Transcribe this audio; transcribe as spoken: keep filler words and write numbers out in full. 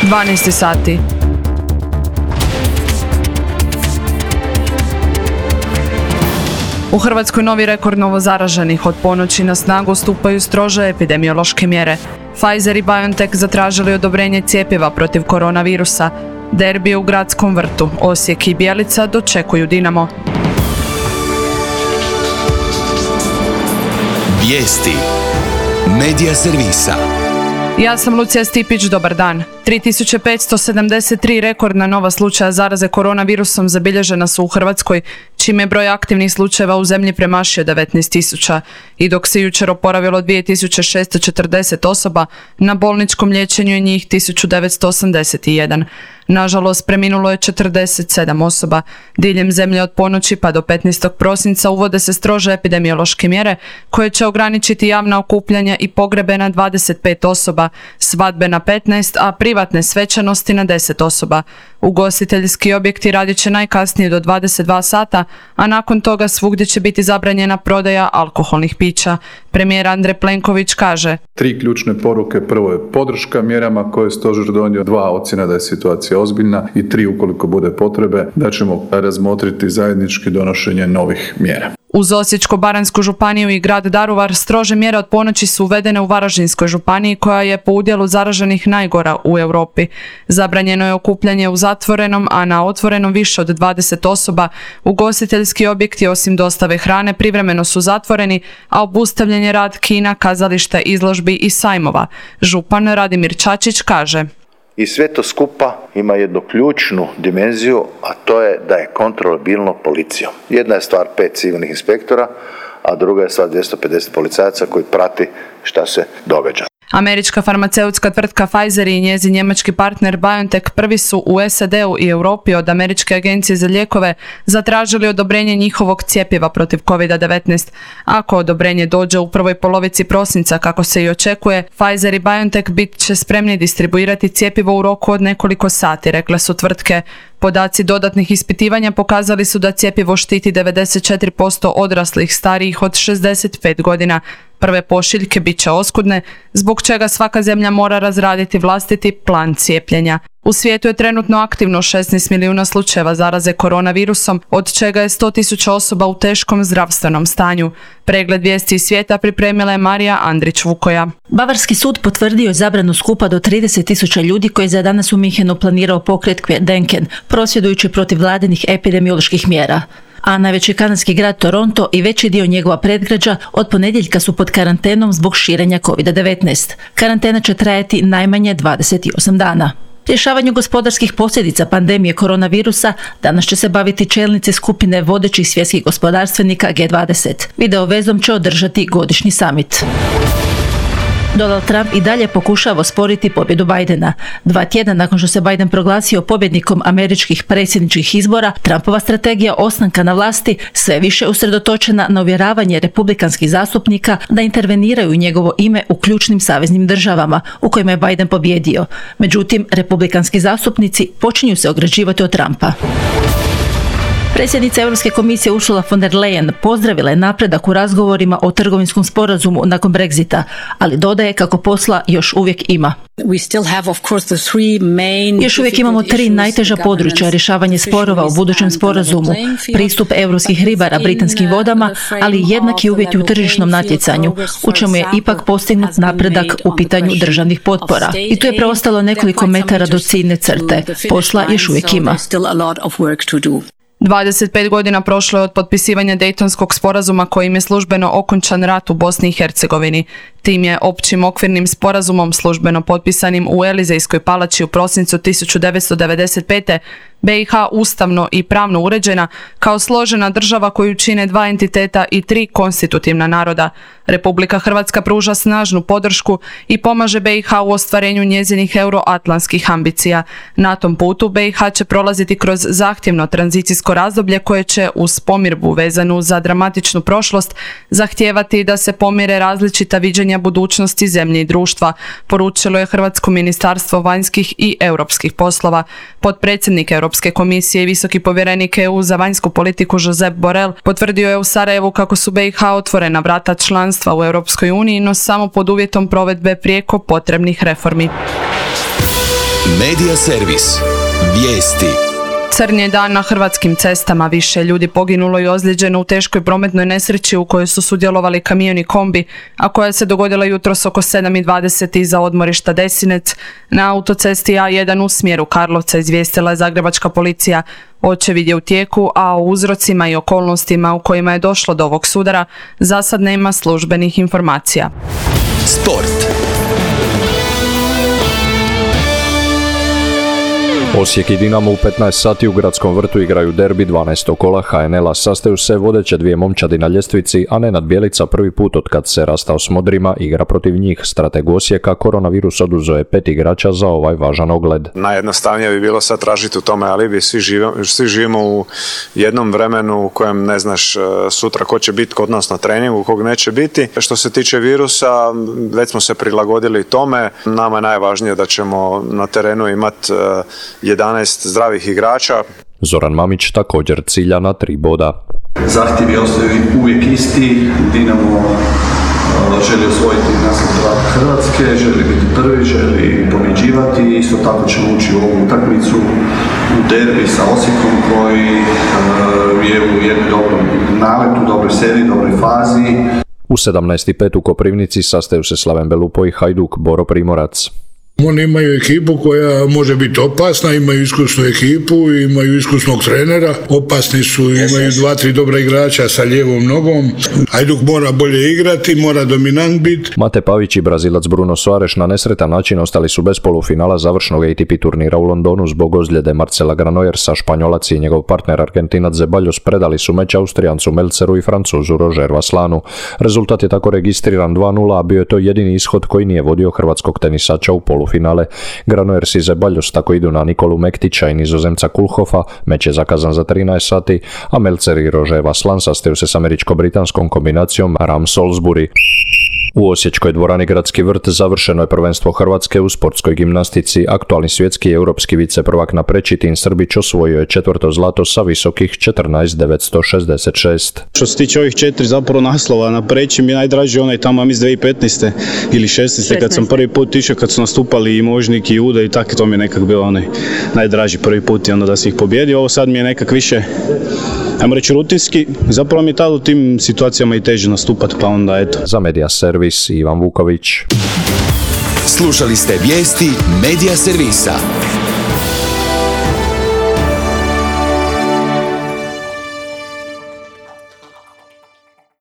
dvanaest sati. U Hrvatskoj novi rekord novozaraženih. Od ponoći na snagu stupaju strože epidemiološke mjere. Pfizer i BioNTech zatražili odobrenje cjepiva protiv koronavirusa. Derbi u Gradskom vrtu. Osijek i Bjelica dočekuju Dinamo. Vijesti. Medija servisa. Ja sam Lucija Stipić, dobar dan. tri tisuće petsto sedamdeset tri rekordna nova slučaja zaraze koronavirusom zabilježena su u Hrvatskoj, čime je broj aktivnih slučajeva u zemlji premašio devetnaest tisuća. I dok se jučer oporavilo dvije tisuće šesto četrdeset osoba, na bolničkom liječenju je njih tisuću devetsto osamdeset jedan. Nažalost, preminulo je četrdeset sedam osoba. Diljem zemlje od ponoći pa do petnaestog prosinca uvode se strože epidemiološke mjere koje će ograničiti javna okupljanja i pogrebe na dvadeset pet osoba, svadbe na petnaest, a privatne svečanosti na deset osoba. Ugostiteljski objekti radit će najkasnije do dvadeset dva sata, a nakon toga svugdje će biti zabranjena prodaja alkoholnih pića. Premijer Andrej Plenković kaže: Tri ključne poruke. Prvo je podrška mjerama koje je stožer donio, dva ocjena da je situacija ozbiljna i tri ukoliko bude potrebe da ćemo razmotriti zajednički donošenje novih mjera. Uz Osječko-baranjsku županiju i grad Daruvar strože mjere od ponoći su uvedene u Varaždinskoj županiji koja je po udjelu zaraženih najgora u Europi. Zabranjeno je okupljanje u zatvorenom, a na otvorenom više od dvadeset osoba. Ugostiteljski objekti osim dostave hrane privremeno su zatvoreni, a obustavljen je rad kina, kazališta, izložbi i sajmova. Župan Radimir Čačić kaže: I sve to skupa ima jednu ključnu dimenziju, a to je da je kontrolabilno policijom. Jedna je stvar pet civilnih inspektora, a druga je stvar dvjesto pedeset policajaca koji prati šta se događa. Američka farmaceutska tvrtka Pfizer i njezin njemački partner BioNTech prvi su u S A D-u i Europi od Američke agencije za lijekove zatražili odobrenje njihovog cjepiva protiv kovid devetnaest. Ako odobrenje dođe u prvoj polovici prosinca, kako se i očekuje, Pfizer i BioNTech bit će spremni distribuirati cjepivo u roku od nekoliko sati, rekle su tvrtke. Podaci dodatnih ispitivanja pokazali su da cjepivo štiti devedeset četiri posto odraslih starijih od šezdeset pet godina. Prve pošiljke bit će oskudne, zbog čega svaka zemlja mora razraditi vlastiti plan cijepljenja. U svijetu je trenutno aktivno šesnaest milijuna slučajeva zaraze koronavirusom, od čega je sto tisuća osoba u teškom zdravstvenom stanju. Pregled vijesti iz svijeta pripremila je Marija Andrić-Vukoja. Bavarski sud potvrdio je zabranu skupa do trideset tisuća ljudi koji je za danas u Minhenu planirao pokret Kvedenken, prosvjedujući protiv vladinih epidemioloških mjera. A najveći kanadski grad Toronto i veći dio njegova predgrađa od ponedjeljka su pod karantenom zbog širenja kovid devetnaest. Karantena će trajati najmanje dvadeset osam dana. Rješavanju gospodarskih posljedica pandemije koronavirusa danas će se baviti čelnici skupine vodećih svjetskih gospodarstvenika G dvadeset. Video vezom će održati godišnji summit. Donald Trump i dalje pokušava osporiti pobjedu Bidena. Dva tjedna nakon što se Biden proglasio pobjednikom američkih predsjedničkih izbora, Trumpova strategija ostanka na vlasti sve više usredotočena na uvjeravanje republikanskih zastupnika da interveniraju u njegovo ime u ključnim saveznim državama u kojima je Biden pobjedio. Međutim, republikanski zastupnici počinju se ograđivati od Trumpa. Predsjednica Europske komisije Ursula von der Leyen pozdravila je napredak u razgovorima o trgovinskom sporazumu nakon Brexita, ali dodaje kako posla još uvijek ima. Još uvijek imamo tri najteža područja rješavanje sporova u budućem sporazumu, pristup europskih ribara britanskim vodama, ali jednaki uvjeti u tržišnom natjecanju, u čemu je ipak postignut napredak u pitanju državnih potpora. I tu je preostalo nekoliko metara do ciljne crte. Posla još uvijek ima. dvadeset pet godina prošlo je od potpisivanja Dejtonskog sporazuma kojim je službeno okončan rat u Bosni i Hercegovini. Tim je općim okvirnim sporazumom službeno potpisanim u Elizejskoj palači u prosincu tisuću devetsto devedeset pete. B i H ustavno i pravno uređena kao složena država koju čine dva entiteta i tri konstitutivna naroda. Republika Hrvatska pruža snažnu podršku i pomaže B i H u ostvarenju njezinih euroatlantskih ambicija. Na tom putu B i H će prolaziti kroz zahtjevno tranzicijsko razdoblje koje će uz pomirbu vezanu za dramatičnu prošlost zahtijevati da se pomire različita viđenja budućnosti zemlje i društva, poručilo je Hrvatsko ministarstvo vanjskih i europskih poslova. Potpredsjednik Europske komisije i visoki povjerenik E U za vanjsku politiku Josep Borrell potvrdio je u Sarajevu kako su B i H otvorena vrata članstva u Europskoj uniji, no samo pod uvjetom provedbe prijeko potrebnih reformi. Medija servis. Vijesti. Crn je dan na hrvatskim cestama. Više ljudi poginulo i ozlijeđeno u teškoj prometnoj nesreći u kojoj su sudjelovali kamion i kombi, a koja se dogodila jutros oko sedam i dvadeset iza odmorišta Desinec na autocesti A jedan u smjeru Karlovca, izvijestila je zagrebačka policija. Očevid je u tijeku, a o uzrocima i okolnostima u kojima je došlo do ovog sudara za sad nema službenih informacija. Sport. Osijek i Dinamo u petnaest sati u Gradskom vrtu igraju derbi dvanaestog kola ha en el-a. Sastaju se vodeće dvije momčadi na ljestvici, a Nenad Bjelica prvi put od kad se rastao s Modrima igra protiv njih. Strateg Osijeka koronavirus oduzeo je pet igrača za ovaj važan ogled. Najjednostavnije bi bilo sad tražiti u tome alibi. Svi živimo, svi živimo u jednom vremenu u kojem ne znaš sutra ko će biti kod nas na treningu, kog neće biti. Što se tiče virusa, već smo se prilagodili tome. Nama je najvažnije da ćemo na terenu imati jedanaest zdravih igrača. Zoran Mamić također cilja na tri boda. Zahtjevi ostaju uvijek isti. Dinamo želi osvojiti naslov prvaka Hrvatske, želi biti prvi, želi pobjeđivati. Isto tako ćemo ući u ovu utakmicu u derbi sa Osijekom koji je u jednom dobrom naletu, dobroj seriji, dobroj fazi. U sedamnaest i pet u Koprivnici sastaju se Slaven Belupo i Hajduk Boro Primorac. Oni imaju ekipu koja može biti opasna, imaju iskusnu ekipu, imaju iskusnog trenera, opasni su, imaju dva, tri dobra igrača sa lijevom nogom. Hajduk mora bolje igrati, mora dominant biti. Mate Pavić i Brazilac Bruno Soares na nesretan način ostali su bez polufinala završnog A T P turnira u Londonu zbog ozljede Marcela Granollers, a Španjolac i njegov partner Argentinac Zeballos predali su meč Austrijancu Melceru i Francuzu Roger Vaslanu. Rezultat je tako registriran dva nula, a bio je to jedini ishod koji nije vodio hrvatskog tenisača u polufinale. Finale. Granollers i Zeballos tako idu na Nikolu Mektića i Nizozemca Kulhofa, meč je zakazan za trinaest sati, a Melcer i Roger Vaslan sastaju se s američko-britanskom kombinacijom Ram Salisbury. U osječkoj dvorani Gradski vrt završeno je prvenstvo Hrvatske u sportskoj gimnastici. Aktualni svjetski i europski viceprvak na preći Tin Srbić osvojio je četvrto zlato sa visokih četrnaest devetsto šezdeset šest. Što se tiče ovih četiri zapravo naslova na preći mi je najdraži onaj tamo iz dvije tisuće petnaeste ili šesnaeste kad sam prvi put išao, kad su nastupali i Možnik i Uda i tako, to mi je nekak bilo onaj najdraži prvi put i onda da se ih pobjedio. Ovo sad mi je nekak više, ajmo reći, rutinski. Zapravo mi je tada u tim situacijama i teže nastupati, pa onda eto. Za Medija servis Ivan Vuković. Slušali ste vijesti Medija servisa.